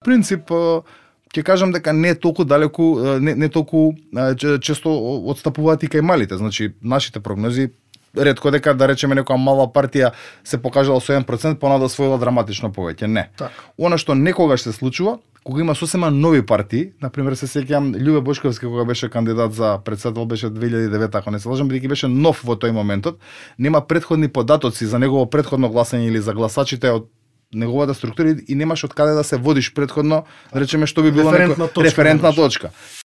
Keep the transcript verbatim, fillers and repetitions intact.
принцип ќе кажам дека не е толку далеку, не не толку често одстапуваат и кај малите. Значи нашите прогнози ретко дека да речеме некоја мала партија се покажала со еден процент понада освоила драматично повеќе. Не. Так. Она што некогаш се случува, кога има сосема нови партии, например се сеќавам Љубе Бошковски кога беше кандидат за председател беше две илјади и девета, ако не се лажам, бидејќи беше нов во тој моментот, нема претходни податоци за негово претходно гласање или за гласачите од неговата структура и немаш од каде да се водиш претходно, да речеме што би било референтна неко... точка, референтна точка.